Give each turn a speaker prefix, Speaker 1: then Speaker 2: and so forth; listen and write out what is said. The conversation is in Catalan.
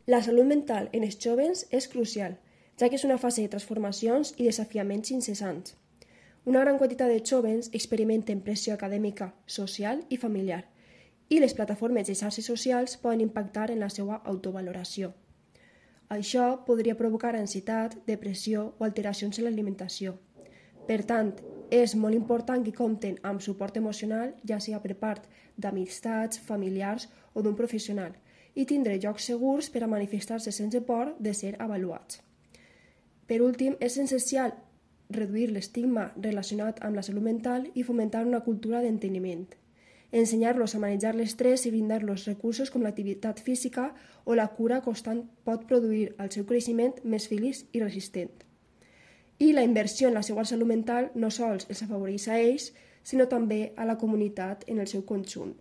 Speaker 1: La salut mental en els joves és crucial, ja que és una fase de transformacions i desafiaments incessants. Una gran quantitat de joves experimenten pressió acadèmica, social i familiar, i les plataformes de xarxes socials poden impactar en la seva autovaloració. Això podria provocar ansietat, depressió o alteracions en l'alimentació. Per tant, és molt important que compten amb suport emocional, ja sigui per part d'amistats, familiars o d'un professional, i tindre llocs segurs per a manifestar-se sense por de ser avaluats. Per últim, és essencial reduir l'estigma relacionat amb la salut mental i fomentar una cultura d'enteniment. Ensenyar-los a manejar l'estrès i brindar-los recursos com l'activitat física o la cura constant pot produir el seu creixement més feliç i resistent. I la inversió en la seva salut mental no sols els afavoreix a ells, sinó també a la comunitat en el seu conjunt.